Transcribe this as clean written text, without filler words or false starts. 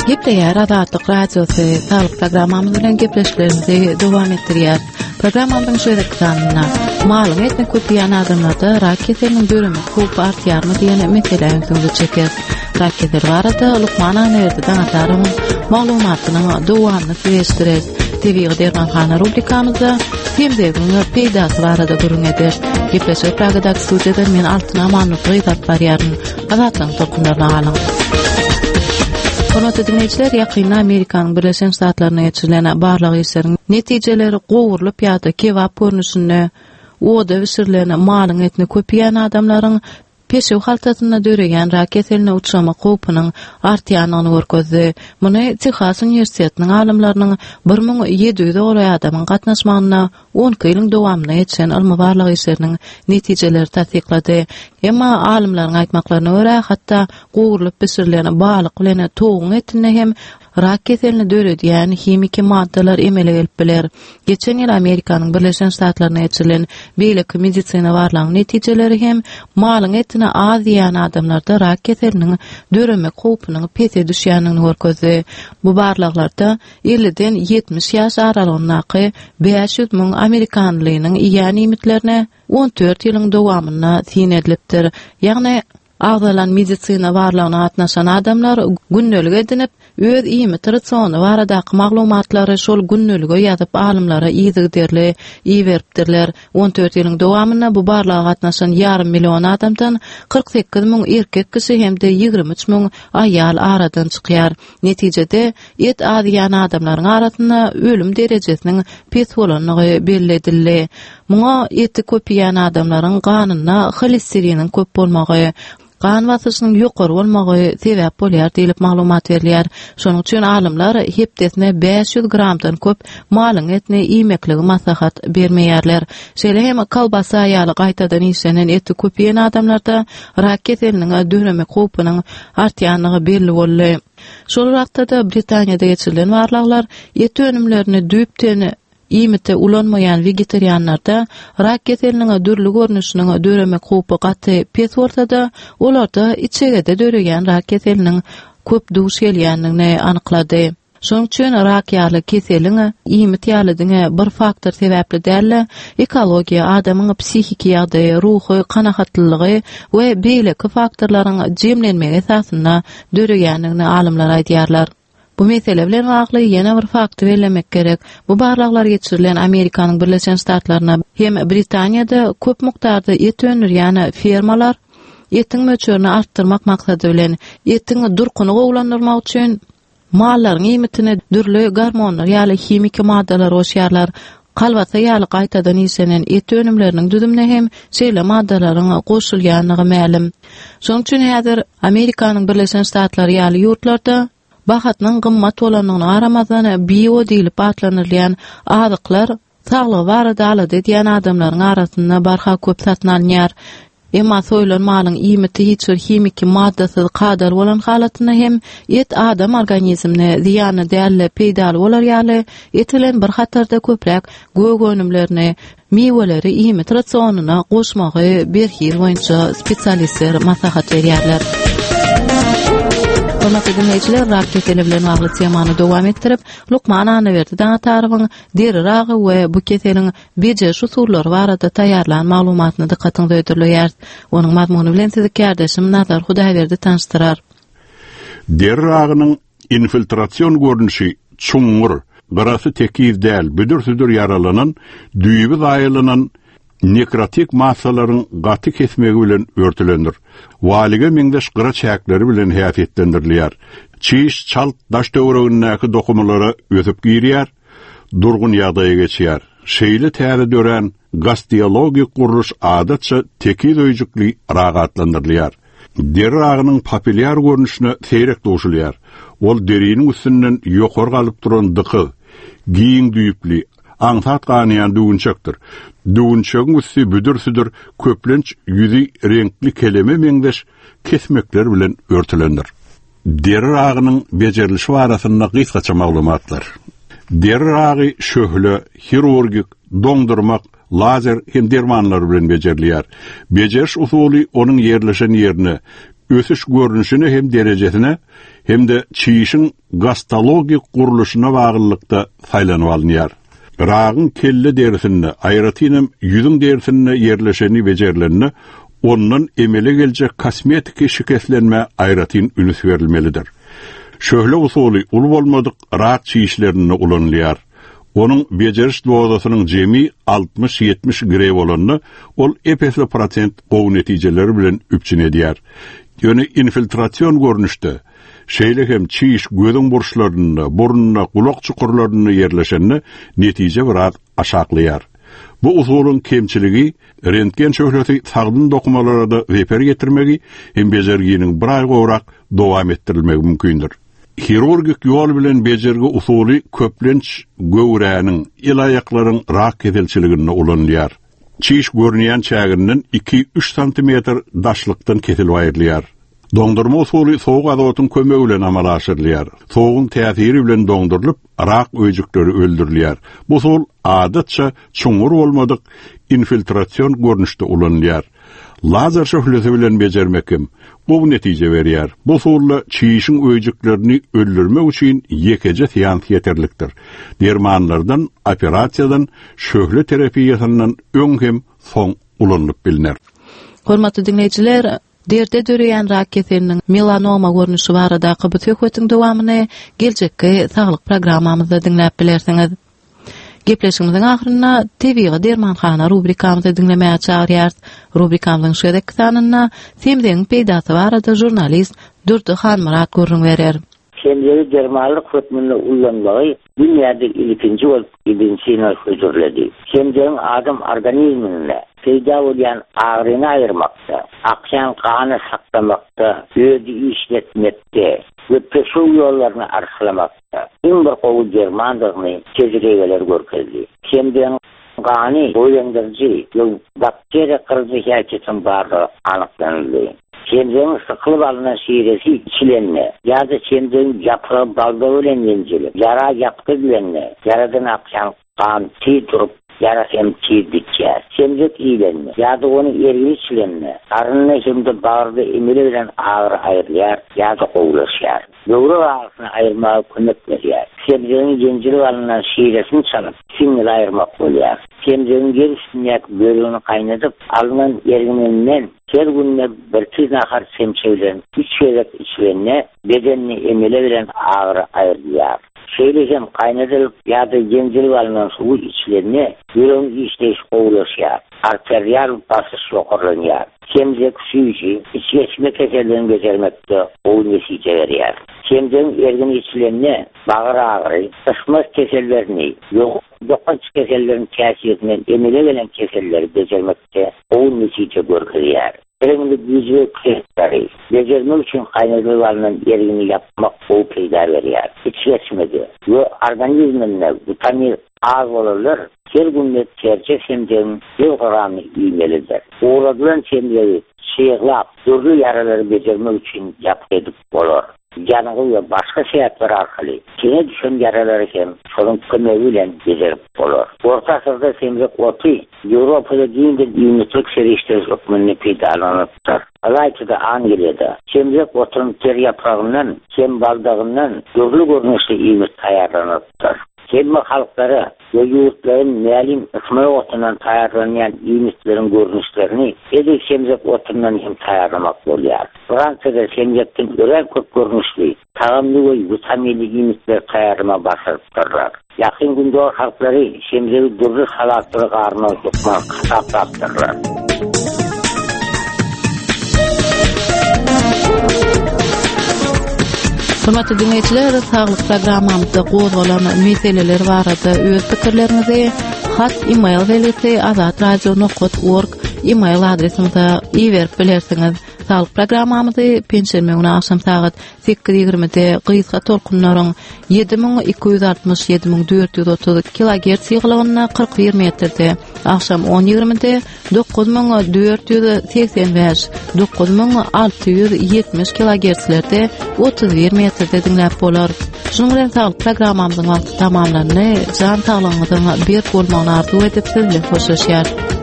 Gepleýär Azatlyk Radiosy Saglyk programmamyz bilen gepleşiklerimizi dowam etdirýär. Programmamyzyň şu gezekki sanynda malyň etini köp iýen adamlarda rak keseliniň döremek howpy artýarmy diýen meselä ünsüňizi çekeris. Rak keseli barada lukman Annaberdi Daňatarowyň maglumatynyň dowamyny size eşitdireris. Tebigy dermanhana rubrikamyzda semzegiň peýdasy barada gürrüň ederis. Gepleşigi Pragadaky studiýadan men Altyn Amanlygyz alyp barýaryn. Azatlygyň tolkunlaryna galyň. Hormatly diňleýjiler, ýakynda Amerikanyň Birleşen Ştatlarynda geçirilen barlag işleriň netijeleri gowrulyp ýa-da kebap görnüşinde oda bişirilen malyň etini köp iýen adamlaryň peşew haltasynda döreýän rak keseline uçramak howpunyň artýandygyny görkezdi. Muny Tehas uniwersitetiniň alymlarynyň 1700-e golaý adamyň gatnaşmagynda 12 ýylyň dowamynda geçiren ylmy-barlag işleriniň netijeleri tassyklady. Emma alymlaryň aýtmaklaryna görä, hatda gowrulyp bişirilen balyk bilen towugyň etinde hem rak keselini döredýän himiki maddalar emele gelip biler. Geçen ýyl Amerikanyň Birleşen Ştatlarynda geçirilen beýleki medisina barlagyň netijeleri hem malyň etini az iýen adamlarda rak keseliniň döremek howpunyň pese düşýändigini görkezdi. Bu barlaglarda elliden 70 ýaş aralygyndaky 500 müň amerikanlynyň iýen iýmitlerine 14 ýylyň dowamynda syn edilipdir. Ýagny, agzalan medisina barlagyna gatnaşan adamlar gündelik edinip, öz iýmit rasiony baradaky maglumatlary şol gündelige ýazyp alymlara yzygiderli iberipdirler. 14 ýylyň dowamynda bu barlaga gatnaşan ýarym million adamdan 48 müň erkek kişi hem-de 23 müň aýal aradan çykýar. Netijede, et az iýen adamlaryň arasynda ölüm derejesiniň pes bolandygy belli edildi. Muňa eti köp iýen adamlaryň ganynda holesteriniň köp bolmagy, gan basyşynyň ýokary bolmagy sebäp bolýar diýlip maglumat berilýär. Şonuň üçin alymlar hepdesine 500 gramdan köp malyň etini iýmekligi maslahat bermeýärler. Şeýle hem kolbasa ýaly gaýtadan işlenen eti köp iýen adamlarda rak keseliniň döremek howpunyň artýandygy belli boldy. Şol wagtda-da Britaniýada geçirilen barlaglar et önümlerini düýpden iýmite ulanmaýan wegetarianlarda rak keseliniň dürli görnüşiniň döremek howpy gaty pes bolsa-da, olarda içegede döreýän rak keseliniň köp duş gelýändigini anyklady. Şonuň üçin rak ýaly keseliň iýmit ýaly diňe bir faktor sebäpli däl-de, ekologiýa, adamyň psihiki ýagdaýy, ruhy kanagatlylygy we beýleki faktorlaryň jemlenmegi esasynda döreýändigini alymlar aýdýarlar. Bu mesele bilen bagly ýene bir fakty bellemek gerek. Bu barlaglar geçirilen Amerikanyň Birleşen Ştatlarynda hem Britaniýada köp mukdarda et öndürýän fermalar etiň möçberini artdyrmak maksady bilen, etiň durkuny gowulandyrmak üçin Mallaryň iýmitine dürli gormonlar ýaly himiki maddalar goşýarlar. Kolbasa ýaly gaýtadan işlenen et önümleriniň düzümine hem şeýle maddalaryň goşulýandygy mälim. Şonuň üçin häzir Amerikanyň Birleşen Ştatlary ýaly ýurtlarda bahasynyň gymmat bolandygyna garamazdan bio diýlip atlandyrylýan azyklar Saglygy barada alada edýän adamlaryň arasynda barha köp satyn alynýar. Emma soýlan malyň iýmiti hiç bir himiki maddasyz kadaly bolan halatynda hem et adam organizmine zyýanly däl-de peýdaly bolar ýaly et bilen bir hatarda köpräk gök önümlerini, miweleri iýmit rasionyna goşmagy berhiz boýunça spesialistler maslahat berýärler. Hormatly diňleýjiler, rak keseli bilen bagly temany dowam etdirip, lukman Annaberdi Daňatarowyň deri ragy we bu keseliň bejeriş usullary barada taýýarlan maglumatyny dykgatyňyza hödürleýäris. Onuň mazmuny bilen sizi kärdeşim Nazar Hudaýberdi tanyşdyrar. Deri ragynyň infiltrasion görnüşi çuňňur, gyrasy tekiz däl, büdür-südür ýaralanan, düýbi zaýalanan nekrotik massalaryň gaty kesmegi bilen örtülendir. Walige meňzeş gyra çäkleri bilen häsiýetlendirilýär. Çiş çalt daş-töweregindäki dokumalara ösüp girýär, durgun ýagdaýa geçýär. Şeýle täze dörän gasteologik gurluş adatça tekiz öýjükli rak atlandyrylýar. Deri ragynyň papillýar görnüşine seýrek duşulýar. Ol deriniň üstünden ýokary galyp duran dykyz, giň düýpli, aňsat ganaýan düwünçekdir. Düwünçegiň üsti büdür-südür, köplenç ýüzi reňkli keleme meňzeş kesmekler bilen örtülendir. Deri ragynyň bejerilişi barasynda gysgaça maglumatlar. Deri ragy şöhle, hirurgik, doňdurmak, lazer hem dermanlar bilen bejerilýär. Bejeriş usuly onuň ýerleşen ýerine, ösüş görnüşine hem derejesine hem-de çişiň gastologik gurluşyna baglylykda saýlanyp alynýar. Ragyň kelle derisinde, aýratynam ýüzüň derisinde ýerleşeni bejerilende, ondan emele geljek kosmetiki şikeslenmä aýratyn üns berilmelidir. Şöhle usuly uly bolmadyk rak çişlerinde ulanylýar. Onuň bejeriş dozasynyň jemi 60-70 greý bolanda, ol ep-esli prosent gowy netijeleri bilen üpjün edýär. Ýöne infiltrasion görnüşde, şeýle hem çiş gözüň burçlarynda, burunda, gulak çukurlarynda ýerleşende netije biraz aşaklaýar. Bu usulyň kemçiligi rentgen şöhlesi sagdyn dokumalara-da zeper ýetirmegi hem bejerginiň bir aý gowrak dowam etdirilmegi mümkindir. Hirurgik ýol bilen bejergi usuly köplenç göwräniň, el-aýaklaryň rak keselçiliginde ulanylýar. Çiş görünýän çäginden iki-üç santimetr daşlykdan kesilip aýrylýar. Doňdurma usuly sowuk azotyň kömegi bilen amala aşyrylýar. Sowugyň täsiri bilen doňdurylyp, rak öýjükleri öldürilýär. Bu usul, adatça, çuňňur bolmadyk infiltrasion görnüşde ulanylýar. Lazer şöhlesi bilen bejermek hem gowy netije berýär. Bu usulda çişiň öýjüklerini öldürmek üçin ýekeje seans ýeterlikdir. Dermanlardan, operasiýadan, şöhle terapiýasyndan öň hem soň ulanylyp bilner. Hormatly diňleýjiler, derde döreýän rak keseliniň melanoma görnüşi baradaky bu söhbetiň dowamyny geljekki saglyk programmamyzda diňläp bilersiňiz. Gepleşigimiziň ahyrynda Tebigy dermanhana rubrikamyzy diňlemäge çagyrýarys. Rubrikamyzyň şu gezekki sanynda semzegiň peýdasy barada žurnalist Durdy Hanmyrat gürrüň berer. Semzegi dermanlyk hökmünde ullanmagy dünýäde ilkinji bolup Ibn Sina hödürledi. Semzegiň adam organizminde peýda bolýan agyryny aýyrmakda, akýan gany saklamakda, ödi işletmekde we peşew ýollaryny arçalamakda, iň bir gowy dermandygyny tejribeler görkezdi. Semzegiň gany goýlandyryjy we bakteriýa gyryjy häsiýetiniň bardygy anyklanyldy. Semzegiň sykylyp alnan şiresi içilende ýa-da semzegiň ýapragy baldagy bilen ýenjilip, ýara ýapgy edilende, ýaradan akýan Gan tiz durup, ýara hem tiz bitýär. Semzek iýlende ýa-da onuň ergini içilende, garynda hem-de bagyrda emele gelen agyry aýrylýar ýa-da gowulaşýar. Böwrek agyrysyny aýyrmaga kömek berýär. Semzegiň ýenjilip alnan şiresini çalyp, siňňili aýyrmak bolýar. Semzegiň ýer üstündäki bölegini gaýnadyp, alnan ergininden her günde birki nahar çemçe bilen üç gezek içilende, bedende emele gelen agyry aýrylýar. Şeýle hem gaýnadylyp ýa-da ýenjilip alnan suwy içilende ýüregiň işleýşi gowulaşýar, arterial basyş ýokarlanýar. Semzek süýji, içgeçme kesellerini bejermekde gowy netije berýär. Semzegiň ergini içilende bagyr agyry, ysmaz kesellerini, ýokanç keselleriň täsirinden emele gelen keselleri bejermekde gowy netije görkezýär. Reňli güýji keselleri bejermek üçin gaýnadylyp alnan ergini ýapmak gowy peýda berýär. Içgeçmede we organizminde witamin az bolanlar her günde terje semzegiň ýüz gramyny iýmelidir. Guradylan semzegi çyglap, dürli ýaralary bejermek üçin ýapgy edip bolar. Ýangy we başga sebäpler arkaly tene düşen ýaralary hem şonuň kömegi bilen bejerip bolar. Orta asyrda semzek oty Ýewropada giňden iýmitlik serişdesi hökmünde peýdalanylypdyr. Ylaýta-da Angliýada semzek otunyň ter ýapragyndan hem baldagyndan dürli görnüşli iýmit taýýarlanylypdyr. Hemme halklara we ýurtlara mälim ysmaýak otundan taýýarlanýan iýmitleriň görnüşlerini edil semzek otundan hem taýýarlamak bolýar. Fransiýada semzekden örän köp görnüşli tagamly we witaminli iýmitleri taýýarlamagy başarypdyrlar. Ýakyn Gündogar halklary semzegi dürli salatlara garmagy hökman hasaplapdyrlar. Hormatly diňleýjiler, saglyk programmamyzda gozgalan meseleler barada öz pikirleriňizi hat e-mail belgisi azatradio.org e-mail adresimize iberip bilersiňiz. Saglyk programmamyzy penşenbe güni agşam sagat 8:20-de gysga tolkunlaryň 7260 7430 kilogertz ýygylygynda 41 metrde, agşam 10:20-de 9485 9670 kilogertzlerde 31 metrde diňläp bolar. Şunuň bilen saglyk programmamyzyň wagty tamamlandy. Jan saglygyňyzyň berk bolmagyny arzuw edip siz bilen hoşlaşýarys.